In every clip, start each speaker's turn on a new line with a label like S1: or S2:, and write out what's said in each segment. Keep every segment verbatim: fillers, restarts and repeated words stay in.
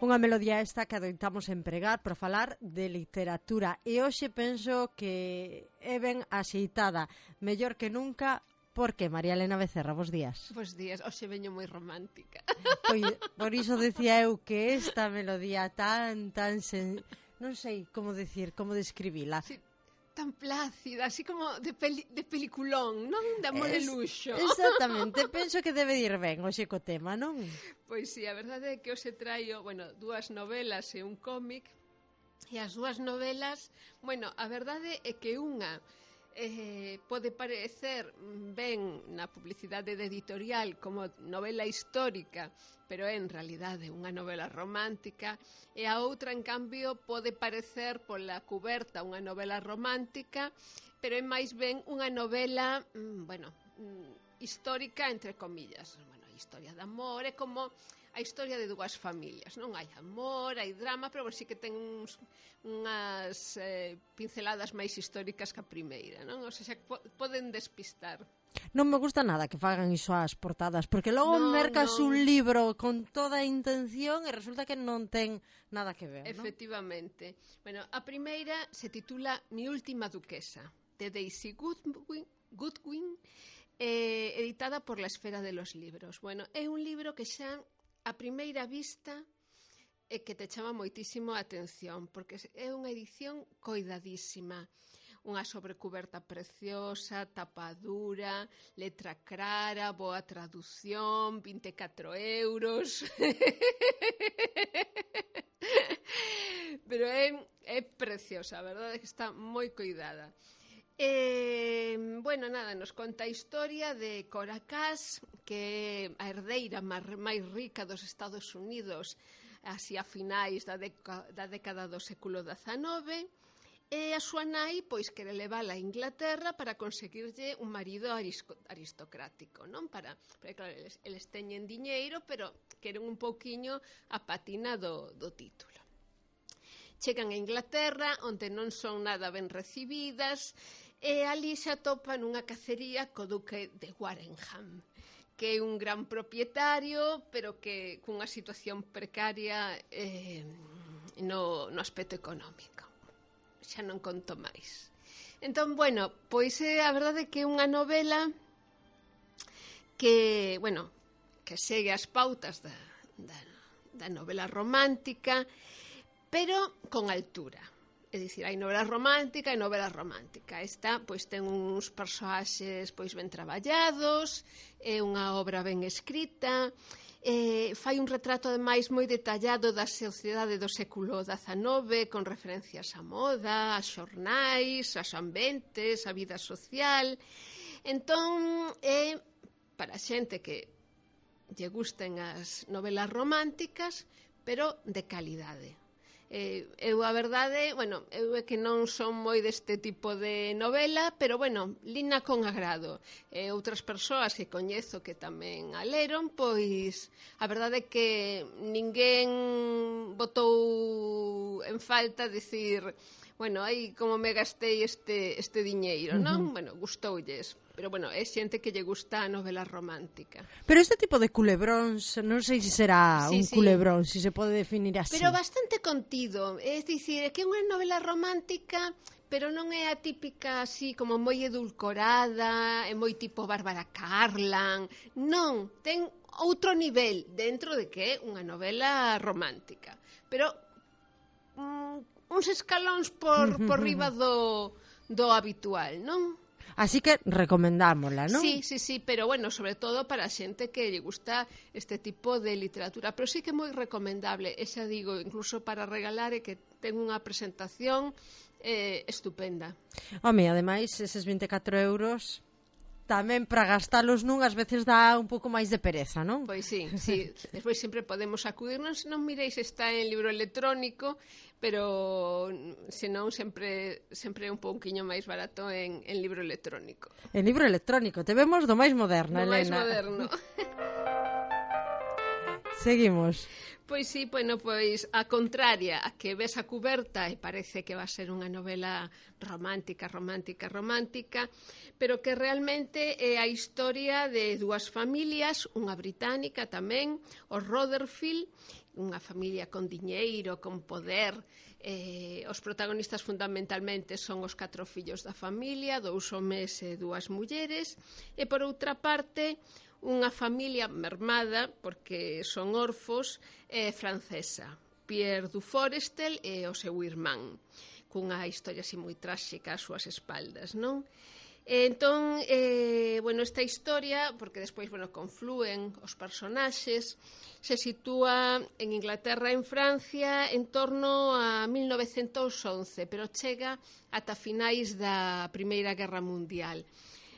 S1: Unha melodía esta que adoitamos empregar para falar de literatura e hoxe penso que é ben axeitada, mellor que nunca, porque María Elena Becerra, bos días.
S2: Bos días, hoxe veño moi romántica.
S1: Pois, por iso decía eu que esta melodía tan, tan sen... non sei como decir, como describila.
S2: Sí, tan plácida, así como de, peli, de peliculón, non? De amor
S1: es,
S2: e luxo.
S1: Exactamente, penso que debe ir ben hoxe co tema, non?
S2: Pois sí, a verdade é que hoxe traio, bueno, dúas novelas e un cómic, e as dúas novelas, bueno, a verdade é que unha eh, pode parecer ben na publicidade de editorial como novela histórica, pero é en realidade unha novela romántica, e a outra, en cambio, pode parecer pola cuberta unha novela romántica, pero é máis ben unha novela, mm, bueno, mm, histórica, entre comillas. Bueno, a historia de amor é como a historia de dúas familias, non? Hai amor, hai drama, pero bueno, sí que ten uns, unhas eh, pinceladas máis históricas que a primeira, non? O sea, po poden despistar.
S1: Non me gusta nada que fagan iso ás portadas, porque logo
S2: no,
S1: mercas
S2: no.
S1: un libro con toda a intención e resulta que non ten nada que ver, non?
S2: Efectivamente. Bueno, a primeira se titula Mi última duquesa, de Daisy Goodwin, Goodwin eh, editada por La Esfera de los Libros. Bueno, é un libro que xa a primeira vista é que te chama moitísimo a atención, porque é unha edición coidadísima, unha sobrecuberta preciosa, tapa dura, letra clara, boa traducción, vinte e catro euros. Pero é, é preciosa, a verdade é que está moi coidada. Eh, bueno, nada, nos conta a historia de Cora Cass, que é a herdeira máis rica dos Estados Unidos así a finais da, deca, da década do século dezanove, e a súa nai pois quere levala a Inglaterra para conseguirlle un marido aristocrático, non? Para, porque claro, eles, eles teñen diñeiro, pero queren un pouquiño a patina do, do título. Chegan a Inglaterra, onde non son nada ben recibidas, e ali se atopan unha cacería co duque de Warrenham, que é un gran propietario, pero que cunha situación precaria eh, no, no aspecto económico. Xa non conto máis. Entón, bueno, pois é a verdade que é unha novela que, bueno, que segue as pautas da, da, da novela romántica, pero con altura. É dicir, hai novela romántica e novela romántica. Esta, pois, ten uns persoaxes, pois, ben traballados, é unha obra ben escrita, eh, fai un retrato, ademais, moi detallado da sociedade do século dezanove, con referencias á moda, a xornais, aos ambientes, a vida social. Entón, é para xente que lle gusten as novelas románticas, pero de calidade. Eh, eu a verdade, bueno, eu é que non son moi deste tipo de novela, pero bueno, lina con agrado. E outras persoas que coñezo que tamén a leron, pois a verdade é que ninguén botou en falta dicir, bueno, aí como me gastei este, este diñeiro, non? Uh-huh. Bueno, gustoulles. Pero, bueno, é xente que lle gusta a novela romántica.
S1: Pero este tipo de culebróns, non sei se será
S2: sí,
S1: un
S2: sí.
S1: culebrón, se se pode definir así.
S2: Pero bastante contido. É dicir, é que é unha novela romántica, pero non é a típica así como moi edulcorada, é moi tipo Bárbara Carlan. Non, ten outro nivel dentro de que é unha novela romántica. Pero mm, uns escalóns por, por riba do, do habitual, non?
S1: Así que recomendámola, non?
S2: Sí, sí, sí, pero bueno, sobre todo para a xente que lle gusta este tipo de literatura, pero sí que é moi recomendable, e xa digo, incluso para regalar, e que ten unha presentación eh, estupenda.
S1: Home, ademais, eses vinte e catro euros tamén para gastalos nun ás veces dá un pouco máis de pereza, non?
S2: Pois sí, sí. Despois sempre podemos acudirnos, non miréis se está en libro electrónico, pero senón sempre sempre é un pouquiño máis barato en, en libro electrónico.
S1: En libro electrónico, te vemos do máis moderno,
S2: do
S1: Elena.
S2: máis moderno.
S1: Seguimos.
S2: Pois sí, bueno, pois a contraria, a que ves a cuberta e parece que va a ser unha novela romántica, romántica, romántica, pero que realmente é a historia de dúas familias, unha británica tamén, os Rotherfield, unha familia con diñeiro, con poder. Eh, os protagonistas fundamentalmente son os catro fillos da familia, dous homes e dúas mulleres, e por outra parte unha familia mermada, porque son orfos, eh, francesa, Pierre du Forestel e o seu irmán, cunha historia así moi tráxica ás súas espaldas, non? E entón, eh, bueno, esta historia, porque despois, bueno, conflúen os personaxes, se sitúa en Inglaterra e en Francia en torno a mil novecentos once, pero chega ata finais da Primeira Guerra Mundial.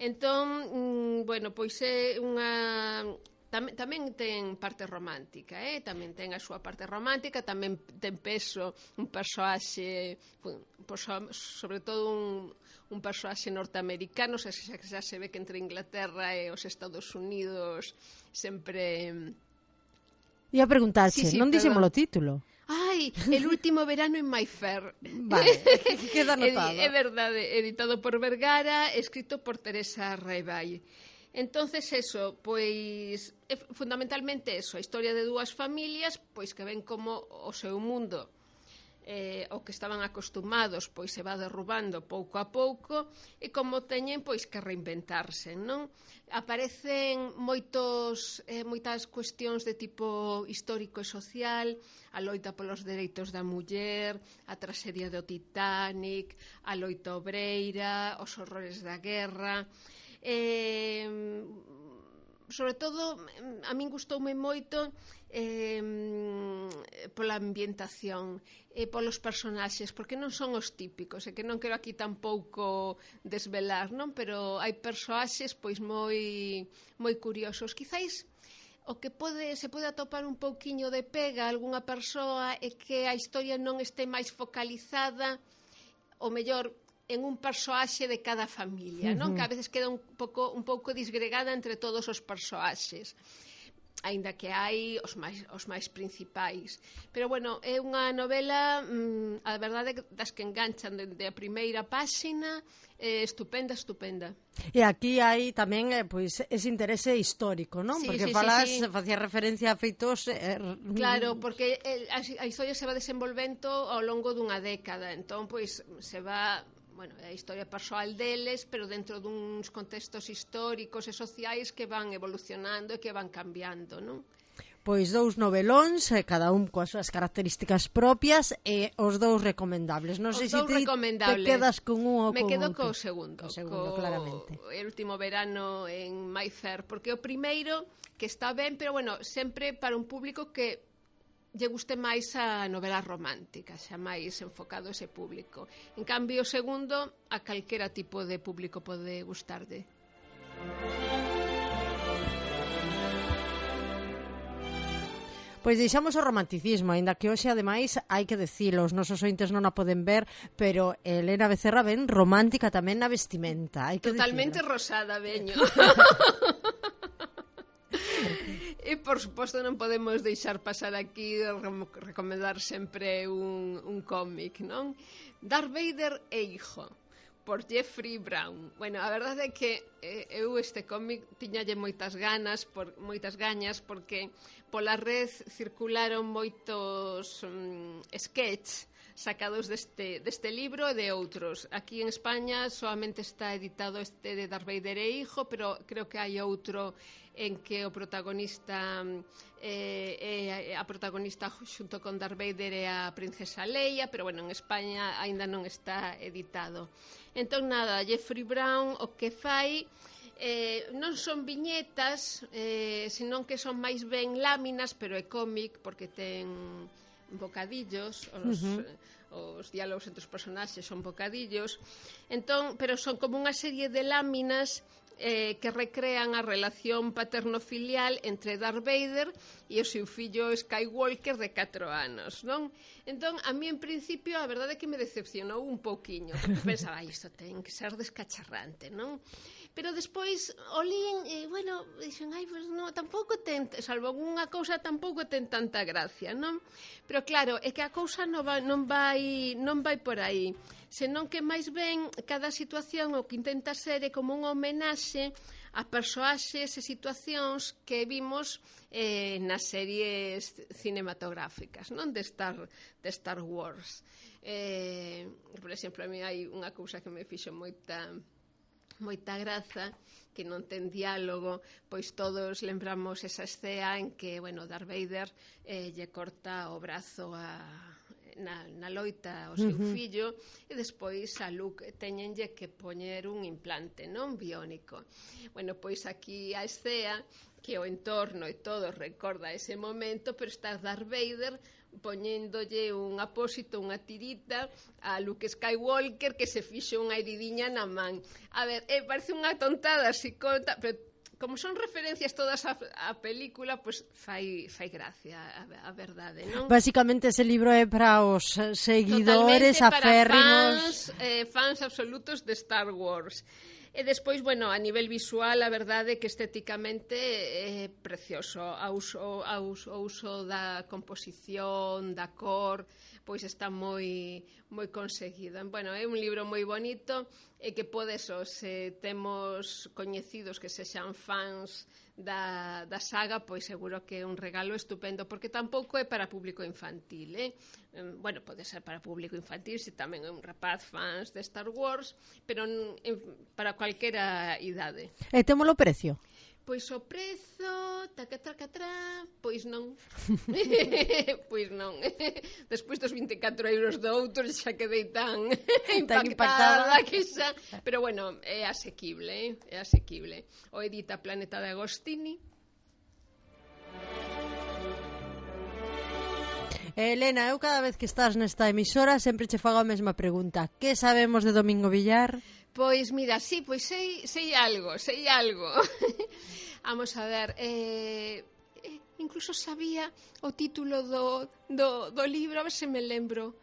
S2: Entón, mm, bueno, pois é unha... Tamén, tamén ten parte romántica, eh? Tamén ten a súa parte romántica, tamén ten peso un persoaxe, sobre todo un, un persoaxe norteamericano, xa, xa, xa se ve que entre Inglaterra e os Estados Unidos sempre...
S1: E a preguntarche,
S2: sí, sí,
S1: non dixemos o título.
S2: Ai, El último verano en Mayfair.
S1: Vale, queda anotado.
S2: É verdade, editado por Vergara, escrito por Teresa Raivall. Entonces, eso, pois, é fundamentalmente eso, a historia de dúas familias, pois que ven como o seu mundo, eh, o que estaban acostumados, pois se va derrubando pouco a pouco, e como teñen, pois, que reinventarse, non? Aparecen moitos, eh, moitas cuestións de tipo histórico e social, a loita polos dereitos da muller, a traxedia do Titanic, a loita obreira, os horrores da guerra... Eh, sobre todo a min gustoume moito eh, pola ambientación e polos personaxes, porque non son os típicos, e que non quero aquí tampouco desvelar, non? Pero hai persoaxes pois moi moi curiosos. Quizáis o que pode, se pode atopar un pouquiño de pega a algunha persoa é que a historia non este máis focalizada, o mellor, en un persoaxe de cada familia, non? Uh-huh. Que a veces queda un pouco, un pouco disgregada entre todos os persoaxes, aínda que hai os máis, os máis principais. Pero, bueno, é unha novela, mmm, a verdade, das que enganchan dende a primeira páxina, eh, estupenda, estupenda.
S1: E aquí hai tamén eh, pois, ese interese histórico, non?
S2: Sí,
S1: porque
S2: sí,
S1: falas,
S2: sí, sí.
S1: facía referencia a feitos... Eh,
S2: claro, porque el, a, a historia se va desenvolvendo ao longo dunha década, entón, pois, se va... Bueno, é a historia persoal deles, pero dentro duns contextos históricos e sociais que van evolucionando e que van cambiando, non?
S1: Pois dous novelóns, cada un coas súas características propias, e os dous recomendables. Non sei se ti te quedas con un ou
S2: Me
S1: con
S2: quedo
S1: outro.
S2: co segundo,
S1: co segundo,
S2: co
S1: claramente.
S2: El último verano en Mayfair, porque o primeiro, que está ben, pero bueno, sempre para un público que lle guste máis a novela romántica, xa máis enfocado ese público. En cambio, o segundo, a calquera tipo de público pode gustarde.
S1: Pois deixamos o romanticismo, aínda que hoxe, ademais, hai que decilo, os nosos ointes non a poden ver, pero Elena Becerra ben romántica tamén na vestimenta, hai que
S2: Totalmente
S1: decirlo.
S2: Rosada, veño. E, por suposto, non podemos deixar pasar aquí de recomendar sempre un, un cómic, non? Darth Vader e Hijo, por Jeffrey Brown. Bueno, a verdade é que eh, eu este cómic tiñalle moitas ganas, por, moitas gañas, porque pola red circularon moitos mm, sketch sacados deste, deste libro e de outros. Aquí en España solamente está editado este de Darth Vader e Hijo, pero creo que hai outro en que o protagonista eh, eh, a protagonista xunto con Darth Vader e a princesa Leia, pero bueno, en España aínda non está editado. Entón, nada, Jeffrey Brown o que fai eh, non son viñetas, eh, senón que son máis ben láminas, pero é cómic porque ten bocadillos, os, uh-huh. os diálogos entre os personaxes son bocadillos, entón, pero son como unha serie de láminas eh, que recrean a relación paterno-filial entre Darth Vader e o seu fillo Skywalker de catro anos, non? Entón, a mí en principio a verdade é que me decepcionou un pouquiño, porque pensaba, isto ten que ser descacharrante, non? pero despois o lín e, bueno, dixen, ai, pois non, tampouco ten, salvo unha cousa, tampouco ten tanta gracia, non? Pero claro, é que a cousa non vai, non vai, non vai por aí, senón que máis ben cada situación o que intenta ser é como unha homenaxe a persoaxes e situacións que vimos eh, nas series cinematográficas, non? De Star, de Star Wars. Eh, por exemplo, a mí hai unha cousa que me fixo moita moita graza, que non ten diálogo, pois todos lembramos esa escena en que, bueno, Darth Vader eh, lle corta o brazo a Na, na loita ao seu uh-huh. fillo, e despois a Luke teñenlle que poñer un implante non biónico. Bueno, pois aquí a escena que o entorno e todo recorda ese momento, pero está Darth Vader poñéndolle un apósito, unha tirita a Luke Skywalker, que se fixo unha heridiña na man. A ver, eh, parece unha tontada así conta, pero como son referencias todas a, a película, pois pues fai, fai gracia a, a verdade, non?
S1: Basicamente ese libro é para os seguidores aférrimos,
S2: fans, eh, fans absolutos de Star Wars. E despois, bueno, a nivel visual, a verdade é que estéticamente é precioso. A uso, a uso, o uso da composición, da cor, pois está moi moi conseguido. Bueno, é un libro moi bonito e que podes, se temos coñecidos que sexan fans da, da saga, pois seguro que é un regalo estupendo, porque tampouco é para público infantil, eh? Bueno, pode ser para público infantil, se tamén é un rapaz fans de Star Wars, pero para calquera idade.
S1: E témolo precio?
S2: Pois o prezo, tacatracatrá, pois non. Pois non. Despois dos vinte e catro euros do outro xa quedei tan impactada, impactada que xa... Pero bueno, é asequible, eh? É asequible. O edita Planeta de Agostini.
S1: Elena, eu cada vez que estás nesta emisora sempre che fago a mesma pregunta. Que sabemos de Domingo Villar?
S2: Pois mira, sí, pois sei, sei algo, sei algo. Vamos a ver, eh, incluso sabía o título do, do, do libro, a ver se me lembro.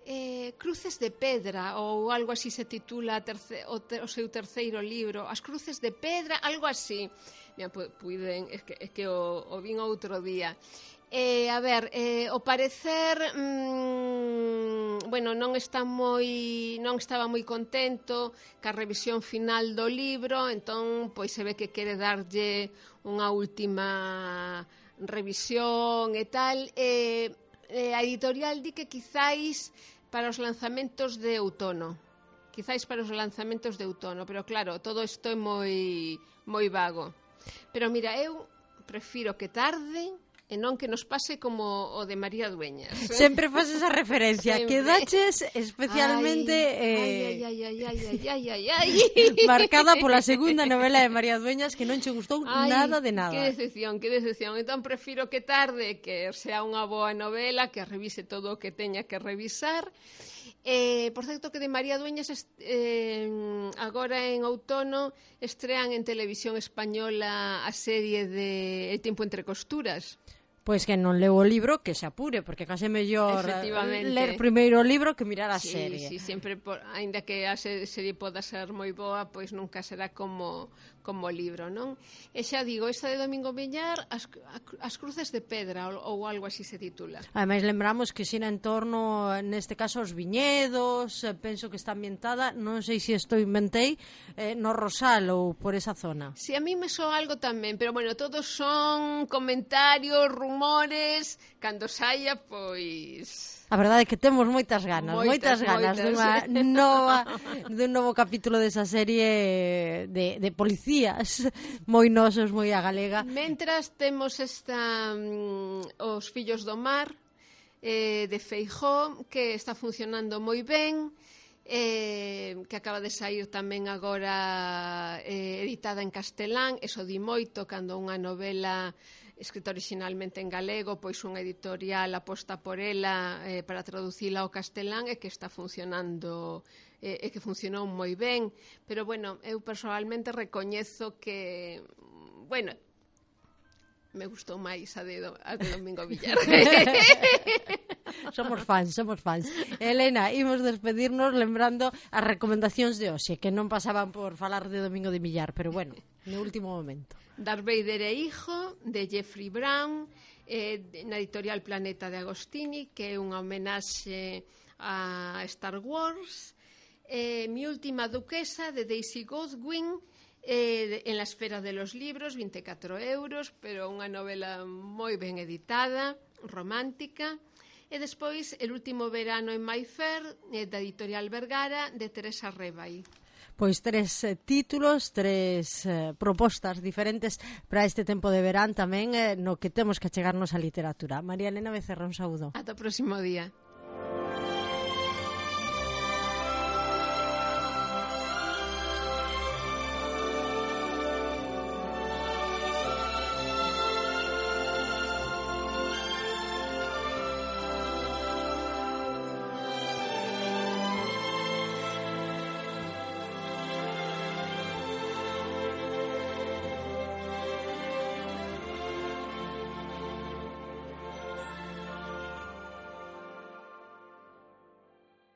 S2: Eh, Cruces de Pedra, ou algo así se titula terce, o, te, o seu terceiro libro. As Cruces de Pedra, algo así. Mira, puiden, é que, é que o, o vin outro día. Eh, a ver, eh, o parecer mmm, bueno, non está moi non estaba moi contento ca revisión final do libro, entón pois se ve que quere darlle unha última revisión e tal, e eh, a editorial di que quizáis para os lanzamentos de outono, quizáis para os lanzamentos de outono, pero claro, todo isto é moi moi vago. Pero mira, eu prefiro que tarde e non que nos pase como o de María Dueñas.
S1: Sempre faz esa referencia, que daches especialmente
S2: ai, eh, ai, ai, ai, ai, ai, ai, ai.
S1: marcada pola segunda novela de María Dueñas, que non che gustou ai, nada de nada.
S2: Que decepción, que decepción. Entón prefiro que tarde, que sea unha boa novela, que revise todo o que teña que revisar. Eh, por certo que de María Dueñas eh, agora en outono estrean en televisión española a serie de El tiempo entre costuras.
S1: Pois que non leu o libro, que se apure, porque case mellor ler primeiro o libro que mirar a
S2: sí,
S1: serie.
S2: Sí, sempre, por, ainda que a serie poda ser moi boa, pois nunca será como como libro, non? E xa digo, esta de Domingo Villar, as, as Cruces de Pedra, ou, ou algo así se titula.
S1: Ademais, lembramos que xira en torno, neste caso, aos viñedos, penso que está ambientada, non sei se isto inventei, eh, no Rosal ou por esa zona.
S2: Si, sí, a mí me soa algo tamén, pero bueno, todos son comentarios, rumores, cando saia, pois...
S1: A verdade é que temos moitas ganas, moitas, moitas ganas moitas. dunha nova, dun novo capítulo desa serie de, de policías moi nosos, moi a galega.
S2: Mentras temos esta um, Os Fillos do Mar eh, de Feijóo, que está funcionando moi ben, eh, que acaba de sair tamén agora eh, editada en castelán. Eso di moito cando unha novela escrita originalmente en galego, pois unha editorial aposta por ela eh, para traducila ao castelán, e que está funcionando eh, e que funcionou moi ben. Pero bueno, eu personalmente recoñezo que, bueno, me gustou máis a de, do, a de Domingo Villar.
S1: Somos fans, somos fans. Elena, imos despedirnos lembrando as recomendacións de hoxe, que non pasaban por falar de Domingo de Villar, pero bueno, no último momento.
S2: Darth Vader e Hijo, de Jeffrey Brown, eh, na editorial Planeta de Agostini, que é unha homenaxe a Star Wars. Eh, Mi última duquesa, de Daisy Godwin, eh, en la esfera de los libros, vinte e catro euros, pero unha novela moi ben editada, romántica. E despois, El último verano en Mayfair, eh, da editorial Vergara, de Teresa Rebay.
S1: Pois tres eh, títulos, tres eh, propostas diferentes para este tempo de verán tamén, eh, no que temos que achegarnos á literatura. María Elena Becerra, un saúdo.
S2: Ata o próximo día.